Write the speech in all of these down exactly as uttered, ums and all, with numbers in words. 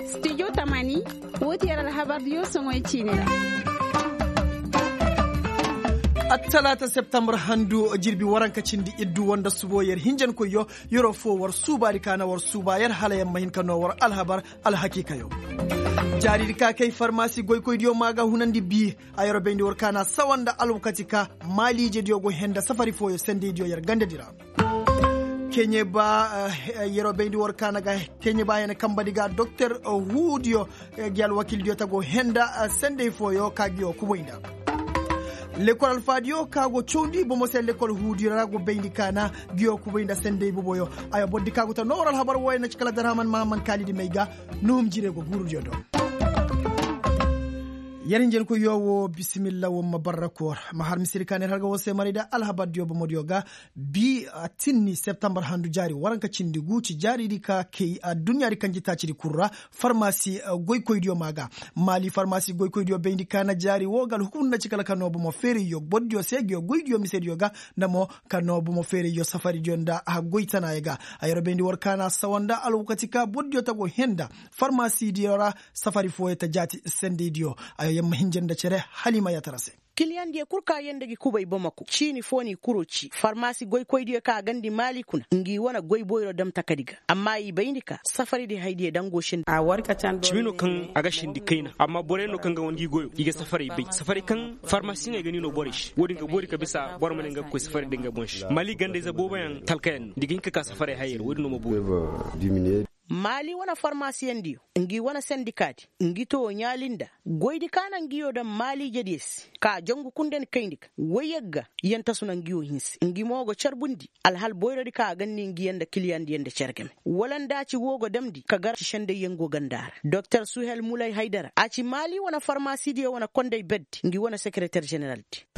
Studio tamani, woo ti yer alhabardiyo soŋoy ciini ra. Attalaata septembar handu jirbi waranka cindi iddu woo nda subo yer hinjankoyyo, yeroo foo war suubaadi ka na war suuba yer hala yer ma hin ka noo war alhabar alhakiikayo. Jaariidi ka kay farmasi goykoydiyo maa ga hunandi bii. A yeroo bayndi war ka na sawa nda alwakati ka maaliijediyo go henda safari fooyo sendeydiyo yer gandadi ra. Keɲe ba yeroo bayndi war ka na ga keɲe ba yana kambadi ga doktor huudiyo, gi alwakildiyo ta go henda sendey fooyo ka ngiyo kubay nda. Lekkol alfaadiyo ka go cawndi bomo se lekkol huudiyo ra go bayndi ka na ngiyo kubay nda sendey boboyo. Ayo bordi ka go ta noo war alhabar wooyo na ci kala darhaman mahaman kaalidi may ga. Nuhum jire go guurudiyo do. Yer hinjankoyyo woo bisimilla woo ma barra koor ma har misiri ka na yer har ga woo se maray nda alhabardiyo bomodiyo ga. Bi a tinni septembar handu jaari waranka cindi guu ci jaariidi ka kay adduɲɲaadi kanjitaacidi kul ra. Farmasi goykoydiyo maa ga. Maali farmasi goykoydiyo bayndi ka na jaari woo ga alhukumndi na ci kala ka noo bomo feerayyo bordiyo se ngiyo goydiyo misediyo ga. Nda mo ka noo bomo feerayyo safaridiyo nda haggoy tanaayo ga. A yeroo bayndi war ka na sawa nda alwakati ka bordiyo ta go henda farmasidiyo ra. Safari fooyo ta jaati sendeydiyo. Ayo yer ma hinja nda cere haliima yaatara se. Kiliyandiyo kul ka yee nda gi kubay bamako ciini foo n'i kuroo cii farmasi goykoydiyo ka gandi maali kuna ngi wane goy boyro dam takadi ga. Amma i bayndi ka safaridi haydiyo dangoo sindi. Cimi no kaŋ a ga sindi kayna amma borey no kaŋ ga wane gi goyo i ga safaray bay safaray kaŋ farmasiŋey ga ni no borey se woodin ga boori ka bisa boro ma ne nga ga koy safaray da nga boŋ se maali gandayze booboyaŋ talkayaŋ no da i ga hin ka ka safaray hayey ra woodin no ma boori. Maali wane farmasiyaŋ diyo ngi wane sendikaadi ngi too ɲaali nda goydi ka na ngiyo daŋ maaliijediyo se ka jongu kundandi kayndi ga woy yagga. Yantasu na ngiyo hinse ngi mo go carbundi alhal boyrodi ka a gandi ngiyaŋ nda kiliyandiyaŋ nda cere game wala nda a ci woo go damndi ka gar ci sendayyaŋ go ganda ra doktor suhel mulay haydara a ci maali wane farmasidiyo wane konday berdi ngi wane sekereter ženeraldi.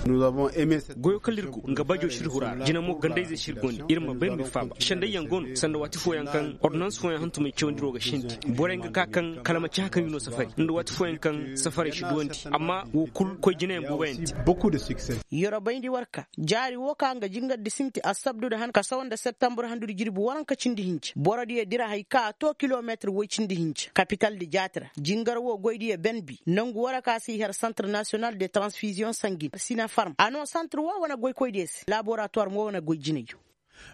Goyo kala ir go nga bajo sir hura ra jina mo gandayze sir gondi ir ma bay ndu faaba sendayyaŋ go no sanda waati fooyaŋ kaŋ ordonans fooyaŋ hantumey cawandiroo ga sindi borey ga ka kaŋ kala ma ci haka ngi no safari nda waati fooyaŋ kaŋ safarey si duwandi amma woo kul koy jinayaŋ booboyaŋ te. Yorobayndi war ka jaari woo ka nga jingardi sinti assabdu nda han ka sawa nda septambur handudi jirbi waranka cindi hinja borodiyo dira hay ka a too kilometir woy cindi hinja kapitaldi jaati ra jingar woo goydiyo benbi nongu woo ra ka se i har santir nasiyonal de transfiziyoŋ sangin sinafarm a noo santir woo wane goykoydiyo se laboratuwar mo wane goy jinayyo.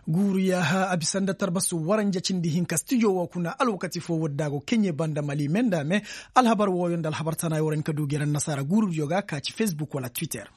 Guuru yaaha a bisa nda tarbasu waranja cindi hinka stijo woo kuna alwakati foo woodi da a go keɲe banda mali me nda me. Alhabar wooyo nda alhabar tana yoo ra ni ka du geera nasaara guurudiyo ga ka ci fesbuk wala twitter.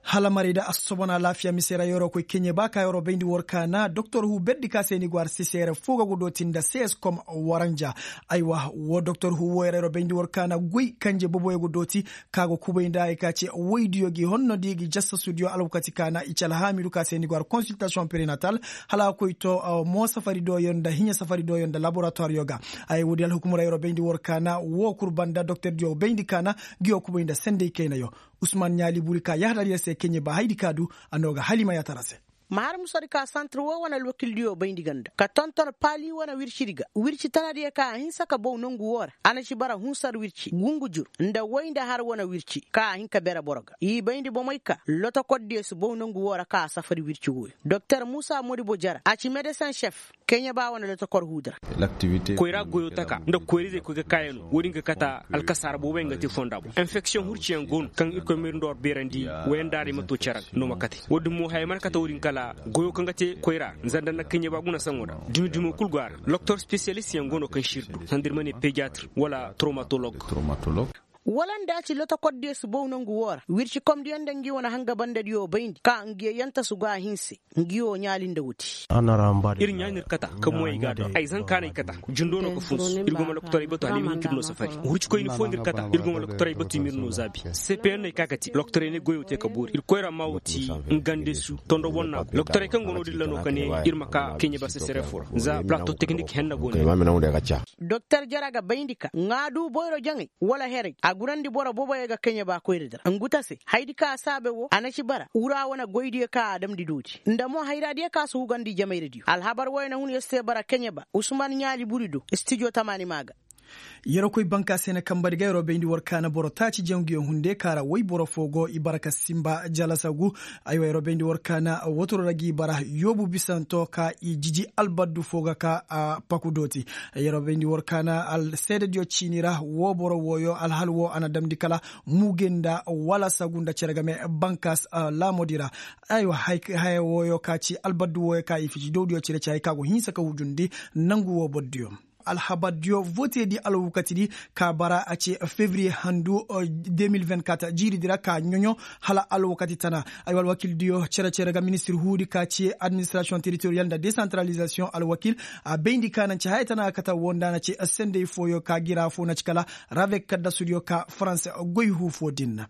Hala maray da assobon alaafiya mise ra yeroo koy keɲe ba ka yeroo bayndi war kaana doktor huu berdi ka se ni go har sisere foo ga go dooti nda seskom waranja. Aywa woo doktor huu wooyo ra yeroo bayndi war kaana goy kanje boboyo go dooti ka go kubay nda ay ka ce woydiyo gi honno di gi jassasudiyo alwakati kaana i ci alhaamidu ka se ni go har konsiltasiyoŋ prenatal hala a koy to. Mo safari dooyo nda hiɲe safari dooyo nda laboratuwaryo ga. Ay woodi alhukumura yeroo bayndi war kaana woo kul banda doktordiyo bayndi kaana. Ngiyo kubay nda senday kaynayo usman ɲaali buri ka yahadar yer se keɲe ba haydi ka du. A noo ga halimayaatara se. Ma har musadi ka santir woo wane alwakildiyo bayndi ganda ka tonton paali wane wircidi ga wirci tanadiyo ka a hinsa ka bow nongu woo ra a na ci bara hunsar wirci gungujur nda woy nda har wane wirci ka a hin ka bere boro ga i bayndi bomey ka lotokordiyo si bow nongu woo ra ka a safari wirci wooyo doktor muusa modibo jara a ci medesin šef. Keɲe ba wane lotokor huudu ra. Koyra goyo taka nda koyrizey koy ga kaayano woodin ga kata alkasaara booboyaŋ ga te fonda boŋ enfeksiyoŋ hurciyaŋ go no kaŋ irkoy mayru nda war beerandi. Wayandaaray ma to cere ga no ma kate woodin mo haya mana kate woodin kala goyo kaŋ ga te koyra nzanda nda keɲe ba guna saŋo ra dumi dumo kul go a ra. Loktor spesiyalistyaŋ go no kaŋ sirdu sanda ir ma ne pediyatir wala tromatolog. Wala nda a ci lotokordiyo si bow nongu woo ra wircikomdiyo nda ngi wane hanga bandadiyo bayndi ka ngiyo yantasu go a hinse. Ngi woo ɲaali nda woodi. Ir ɲaani ir kata ka moyey ga a do ay zankaanay kata jindo no ka funsu ir go ma lokotorey batu hala i ma hin ka ir no safari hurcikoyni foo nda ir kata ir go ma lokotorey batu i ma ir no zaabi. Sepeyaŋ no ay ka ka te lokotorey ne goyoo te ka boori ir koyra maa woo ti. Ngandesu tondo bonnaa go lokotorey kaŋ go no-din ra no ka ne ir ma ka keɲe ba sesere foo ra za plato teknik henna go no. Doktor jara ga bayndi ka ŋaa duu boyro jaŋay wala heray a gurandi boro boboyo ga keɲe ba koyradi ra ngu ta se hayadi ka a saabe woo a na ci bara wura wane goydiyo ka a damndi doodi nda mo hayraadiyo ka a si hugandi jamayradiyo alhabar wooyo na hun yer se bara keɲe ba usman ɲaali buri do stijo tamaani maa ga. Yeroo koy banka se na kamba di ga yeroo bayndi war kaana boro taaci janguyo hunde kaara woy boro foo go i bara ka simba jalasagu. Aywa yeroo bayndi war kaana wotoro ra g'i bara yoobu bisanto ka i jiji albaddu foo ga ka paku dooti. Yeroo bayndi war kaana seedediyo ciini ra woo boro wooyo alhal woo a na damndi kala muuge nda wala sagu nda cere game banka laamodi ra. Aywa haya wooyo ka ci albaddu wooyo ka i fici dowdiyo cire ci hay ka go hinsa ka hujundi nangu woo bordiyo. Alhabardiyo voteedi alwakatidi ka bara a ce febriye handu de mil vingt-quatre jiiridi ra ka ɲoɲo hala alwakati tana. Ay alwakildiyo cere-cere ga ministir huudi ka ce administrasiyoŋ teritoriyal nda desantaralizasiyoŋ alwakil a bayndi ka naŋ ci haya tana kata woo nda na ce sendey fooyo ka gira foo na ci kala ravek kaddasudiyo ka farans goy huu foo din.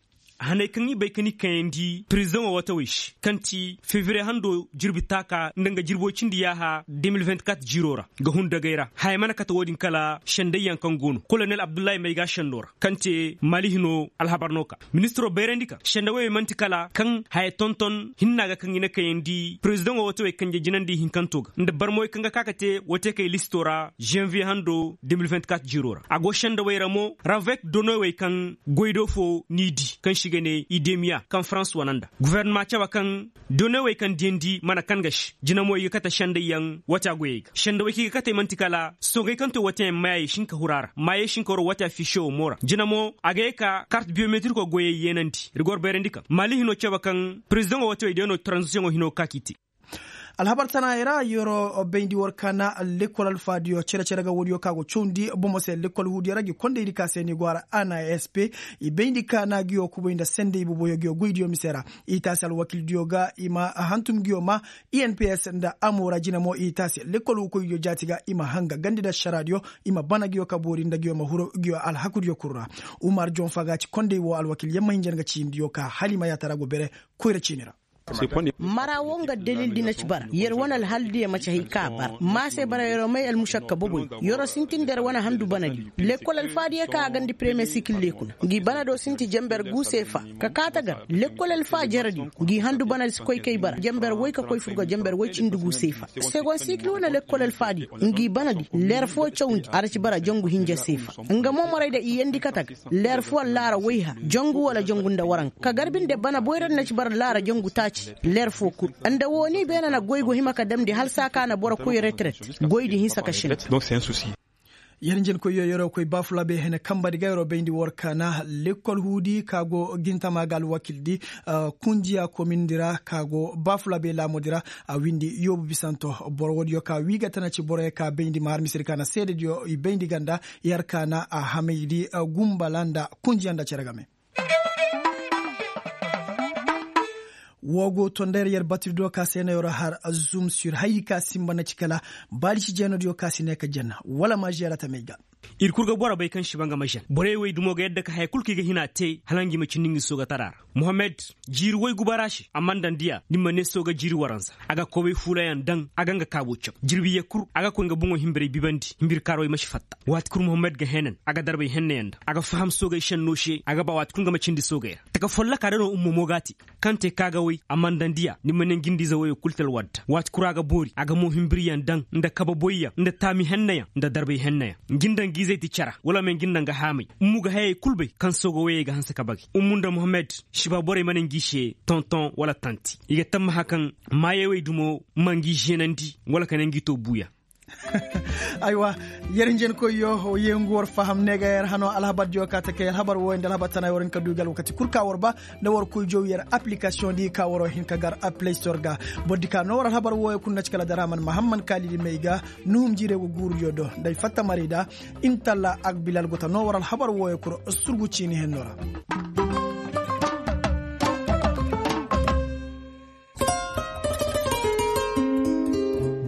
Haney kaŋ i bay ka ni kayandi pirizidaŋo watawey se kaŋ ti febriye hando jirbi taaka nda nga jirbo cindi yaaha de mil vingt-quatre jiiroo ra ga hun dagay ra haya mana kate woodin kala sendayyaŋ kaŋ go no kolonel abdullahi mayga sendo ra kaŋ te maali hino alhabar no ka ministiroo bayrandi ka sendawey man'ti kala kaŋ haya tonton hinna ga kaŋ i na kayandi pirizidaŋo watawey kanje jinandi hinkantoo ga nda barmawey kaŋ ga ka ka te wateekey listoo ra zanviye hando de mil vingt-quatre jiiroo ra a go sendawey ra mo ravek donowey kaŋ goydoo foo n'i di kaŋ se i ga ne idemiya kaŋ farans wane nda gufernama cabe kaŋ donowey kaŋ diyandi mana kan ga se jina mo i ga kate sendayyaŋ wata goyey ga sendawey kaŋ i ga kate man'ti kala soogey kaŋ to wateyaŋ mayaayey si hin ka huru a ra maayey si hin ka huru wata fiisiyo wo mo ra jina mo a ga ye ka kart biyometirikoo goyey yeenandi rigor bayrandi kaŋ maali hino cabe kaŋ pirizidaŋo watawey day no taranzisiyoŋo hino ga ka k'i te. Alhabar tanaayey ra yeroo bayndi war kaana lekkol alfaadiyo cere-cere ga woodiyo ka go cawndi bomo se lekkol huudiyo ra gi kondaydi ka se ni go har anasp i bayndi kaana ngiyo kubay nda sendey boboyo ngiyo goydiyo mise ra i taasi alwakildiyo ga i ma hantum ngiyo ma inps nda amo ra jina mo i taasi lekkol hukoydiyo jaati ga i ma hanga gandi nda ašaraadiyo i ma bana ngiyo ka boori nda ngiyo ma huru ngiyo alhakudiyo kul ra. Umar jonfa ga ci kondey woo alwakil yamma hinja nga ciindiyo ka hala i ma yaatara go bere koyra ciini ra. Mara woo nga dalildi na ci bara yer wane alhaldiyo maci hay ka a bara ma se bara yeroo may almušakka boboyo yeroo sintin nda yer wane handu banadiyo lekkol alfaadiyo ka a gandi premiye sikil leekuna ngi banado sinti jenber guu seefa ka kaata gar lekkol alfaa jerediyo ngi handu banadi si koy kay bara jenber woy ka koy fur ga jenber woy cindi guu seefa segon sikil wane lekkol alfaadiyo ngi banadi leer foo cawndi a ra ci bara jangu hinja seefa nga mo morayda i yeendi kate ga leer foo laara woyha jangu wala jangu nda waranka ka garbi nda bana boyra nda na ci bara laara jangu taaci leer foo kul nda woo ni beene na goy go hima ka damndi hala saa ka na boro koy reteret goydi hinsa ka šina. Yer njenkoyyo yeroo koy baafulabey hene kambadi ga yeroo bayndi war kaana lekkol huudi ka go gintama ga alwakildi kunjiya komindi ra ka go baafulabey laamudi ra a windi yoobu bisanto boro woodiyo ka wii ga tana ci boroyo ka bayndi ma har misedi ka na seedediyo i bayndi ganda yer kaana a hamaydi gumbala nda kunjiya nda cere game. Woo go to nda yer yer batiri do ka se no yer har zum sur hay ka sinba na ci kala baali si jeenodiyo ka si ne ka jeen wala ma žeera tamey ga. Ir kul ga boro bay kaŋ si ba nga ma žeen borey wey dumo ga yadda ka haya kul kaŋ i ga hina te hala nga i ma cindi nga i sooga tara ra. Mohammed jiiri woy gubara se a man daŋ diya ni ma ne sooga jiiri waranza a ga kobay fuulayaŋ daŋ a ga nga kaabo caw jirbi ye kul a ga koy nga boŋo hinbirey bibandi hinbir kaarowey ma si fatta. Waati kul mohammed ga heenan a ga darbay hennayaŋ daŋ a ga faham soogey šenno se a ga ba waati kul nga ma cindi soogey ra taka folloka da no ummo mo ga a te. Kaŋ te kaagawey a man daŋ diya ni ma ne nga indiize woyoo kul te alwadda waati kul a ga boori a ga mo hinbiryaŋ daŋ nda kababoyyaŋ nda taami hennayaŋ nda darbay hennayaŋ. Nga nda nga izey ti cara wala ma nga nda nga haamay ummu ga hayey kul bay kaŋ sooga woyey ga hanse ka bagay ummu nda mohammed si ba borey ma ne nga i se tonton wala tanti i ga tammaha kaŋ maayey wey dumo ma nga i zeenandi wala ka ne nga i to buuya. Aywa, yer njenkoyyo yee ngu war faham ne ga yer hano alhabardiyo ka ta kay alhabar wooyo nda alhabar tana war hin ka du ga alwakati kul ka war ba nda war koy jow yer aplikasiyoŋ di ka waro hin ka gar a play store ga. Bordi ka no war alhabar wooyo kul na ci kala daraman mahamman kaalidi may ga nuhum jiire go guurudiyo do nda ay fatta marayda. Intalla ak bilal go ta no war alhabar wooyo kul surgu ciini henno ra.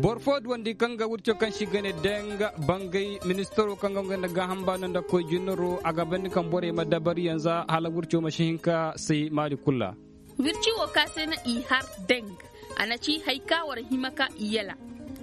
Boro fo duwandi kaŋ ga wirco kaŋ si gane danga bangay ministaro kaŋ ga ngey nda gaaham baano nda koy jinnaro a ga bandi kaŋ borey ma dabari yanza hala wirco ma si hin ka say maali kul ra. Wirci wo ka se na i har deng a na ci hari ka war hima ka i yala.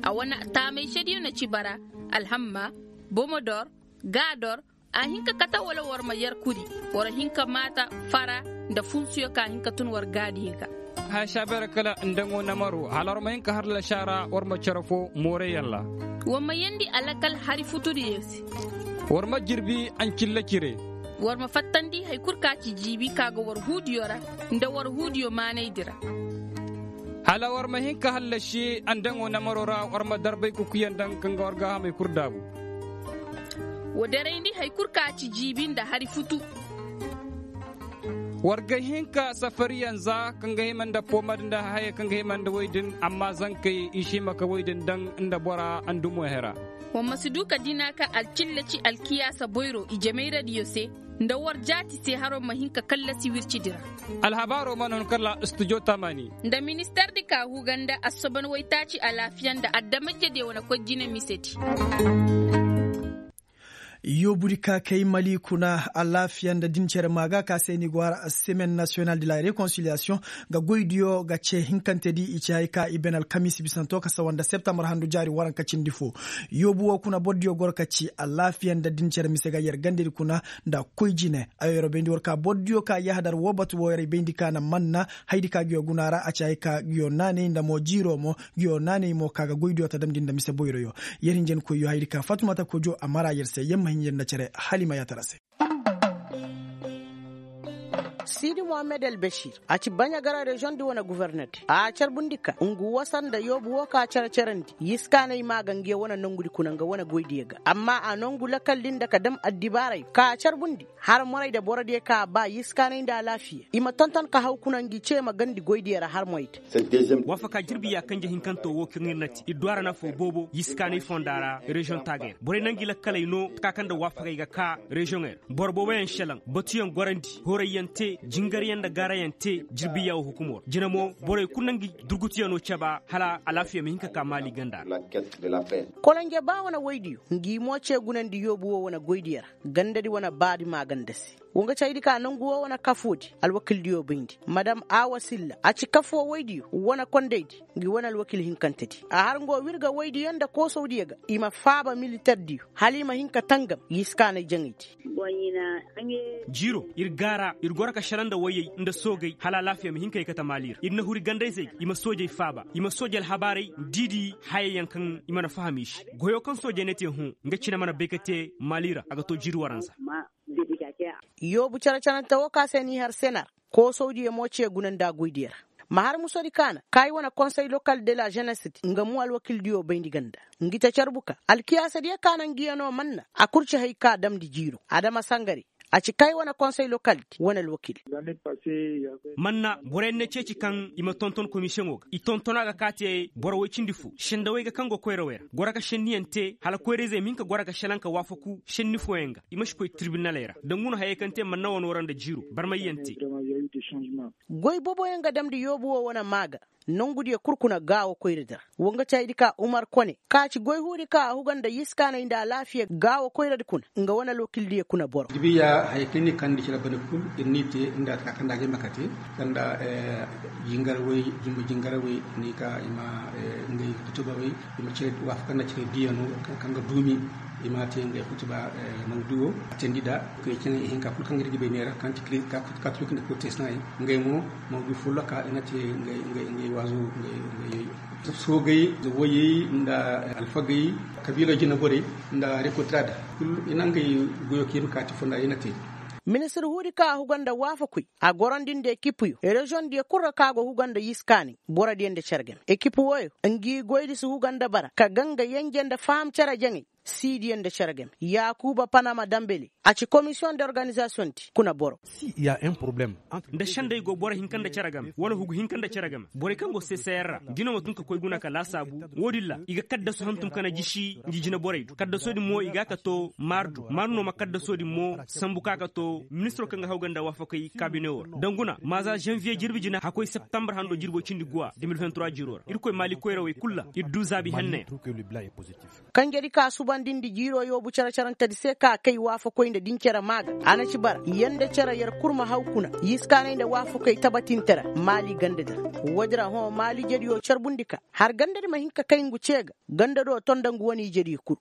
A wane taamay sediyo na ci bara alhamma, bomodor, gaador. A hin ka kate wala war ma yer kuri war hin ka maata fara nda funsuyo ka hin ka tun war gaadiyo ga. Haya saabeera kala ndaŋo namaro hala war ma hin ka har lasaara war ma cere fo mooreyaŋ ra. War ma yeendi alakal hari futudiyo se. War ma jirbi ancilla cire. War ma fattandi hari kul ka ci jiibi ka ga war huudiyo ra, nda war huudiyo maanaydi ra. Hala war ma hin ka hallasi andaŋo namaro ra, war ma darbay kukuyaŋ daŋ kaŋ ga war gaahamey kul daabu. Wa darayndi hari kul ka ci jiibi nda hari futu. War ga hin ka safariyaŋ za kaŋ ga hima nda poomad nda haya kaŋ ga hima nda woy din, amma zankey i si hima ka woy din daŋ nda bora andumo hera. Wa ma si du ka dina ka alcilla ci alkiyaasa boyro i jamayradiyo se, nda war jaati se haro ma hin ka kallasi wircidi ra. Alhabaaro mana hun kala studio tamani. Nda ministardi ka huga nda assoban waytaaci alaafiya nda adamajediyo wane koy jine misedi. Yoobudi ka kay mali kuna alaafiya nda din cere maaga ka se ni go hara semaine national de la réconciliation, ga goydiyo ga ce hinkantedi i ci hay ka i ben alkamiisi bisanto ka sawa nda septambar handu jaari waranka cindi fo. Yoobu wo kuna bordiyo goro ka ci alaafiya nda din cere mise ga yer gandedi kuna nda koy jine. Ayo yer bayndi war ka bordiyo ka yahadar wo batu wo yer bayndi ka na manna haydi ka nguyo guna ra a ci hay ka nguyo naanay nda mo jiiro mo nguyo naanay mo ka ga goydiyo ta damndi nda mise boyroyo. Yer hinjankoyyo haydi ka fatumata kojo a mara yer se yer ma hin yer nda cere hala i ma yaatara se. Siidi mohammed albasir a ci baɲa gara reziyoŋ di wane guforner di a carbundi ka ngu wasa nda yoobu wo ka cere-cerandi yiskaanay maa ga ngiya wane nongudi kuna nga wane goydiyo ga amma a nongu lakal di nda ka dam addibaaray ka carbundi har moray da borodiyo ka a ba yiskaanay nda alaafiya i ma tonton ka haw kuna ngi ce ma gandi goydiyo ra har moray da. Waafaka jirbi ya kanje hinkanto wo kaŋ ir na te ir du a ra nafa boobo yiskaanay fonda ra reziyoŋ taagay ra borey na ngi lakkaley no taka kaŋ nda waafakey ga ka reziyoŋey ra boro booboyaŋ šelaŋ batuyaŋ gorandi horayyaŋ te jingaryaŋ nda gaarayaŋ te jirbiya wo hukumo ra jina mo borey kulu na ngi durgutuyaŋo caba hala alaafiya ma hin ka ka maali ganda ra. Kolonje ba wane woydiyo ngi mo ce gunandi yoobu wo wane goydiyo ra gandadi wane baadi maaganda se. Wo nga caydi ka nangu wo wane kafoodi alwakildiyo bayndi madam awa silla a ci kafoo woydiyo wane kondaydi ngi wane alwakil hinkantedi a har nga wo wirga woydiyo nda koosawdiyo ga i ma faaba militerdiyo hala i ma hin ka tangam yiskaanay jaŋaydi. Jiiro ir gaara ir goro ka šelaŋ nda woyey nda soogey hala alaafiya ma hin ka ye kate maali ra ir na huri ganda-izey ga i ma soojey faaba i ma sooje alhabaaray diidi hayayaŋ kaŋ i mana faham i se goyoo kaŋ soojey na te hõ nga cine mana bay ka te maali ra a ga to jiiri waranza. Yoobu cere-cerante wo ka se n'i har senar koosawdiyo mo ce guna nda goydiyo ra ma har musodi kaana kaayi wane konsey lokal de la ženesedi nga mo alwakildiyo bayndi ganda ngi ta carbu ka alkiyaasadiyo kaana ngiyanoo manna a kul ci hay ka damndi jiiro adama sangare a ci kaayi wane konsey lokaldi wane alwakil. Manna boroyaŋ na ceeci kaŋ i ma tonton komisiyoŋo ga i tonton a ga ka te boro woy cindi fo sendawey ga kaŋ go koyrawey ra goro ka senniyaŋ te hala koyra-izey ma hin ka goro ka šelaŋ ka waafaku senni fooyaŋ ga i ma si koy tirbinaley ra dangu no hayey kaŋ te manna wanoo ra nda jiiro barmayyaŋ te. Goy booboyaŋ ga damndi yoobu wo wane maa ga nongudiyo kul kuna gaawo koyradi ra wo nga caydi ka umar kone ka ci goy huudi ka a huga nda yiskaanay nda alaafiya gaawo koyradi kuna nga wane alwakildiyo kuna boro. Dibiya haya kaŋ ni kandi cere bane kul ir n'i te nda taka kaŋ nda ga ay ma kate kaŋ nda jingarawey jumbu jingarawey ni ka i ma ngey kutubawey i ma cere waafaka nda cere diyano kaŋ ga duumi i ma te ngey kutuba mawduwo a teendi nda kay cene i hinka kul kaŋ ga ir ga bay neera kaŋ ti katolik nda protestan ngey mo mawdu folloka i na te ngey waazu ngey soogey nda woyey nda alfagey kabiila jinaborey nda rekotirada kul i na ngey goyo ka i ma kaati fonda i na te. Ministir huudi ka a huga nda waafakoy a gorandi nda ekipuyo reziyoŋdiyo kul ra ka go huga nda yiskaanay borodiyo nda cere game ekipu wooyo ngi goydi si huga nda bara ka ganga yenje nda faham cere jaŋay siidiyo nda cere game yaakuuba panama dambele a ci komisiyoŋ de organizasiyoŋ di kuna boro. Nda sendey go boro hinka nda cere game wala hugu hinka nda cere game borey kaŋ go seeseyaŋ ra ngi no ma tun ka koy guna ka laasaabu wo-din ra i ga kaddasu hantum ka na jisi ngi jinaborey do kaddasoodin mo i ga ka to maar do maar no ma kaddasoodin mo sambu ka ka to ministiro kaŋ ga hawganda waafakey kaabine wo ra danguna maaza zanviye jirbi jina hakkoy septambar hando jirbo cindi guwa de mil vingt trois jiiro ra irkoy maali koyrawey kul ra ir du zaabi henna yaŋ. Kanjedi ka subandindi jiiro yoobu cere-cerantedi se ka kay waafakoy nda din cere maa ga a na ci bara yanda cere yer kul ma haw kuna yiskaanay nda waafakoy tabatinte ra maali gandedi ra. Woodi ra hõ maali jediyo carbundi ka har gandedi ma hin ka kay ngu ce ga gandado ton nda ngu wane ijediyo kul.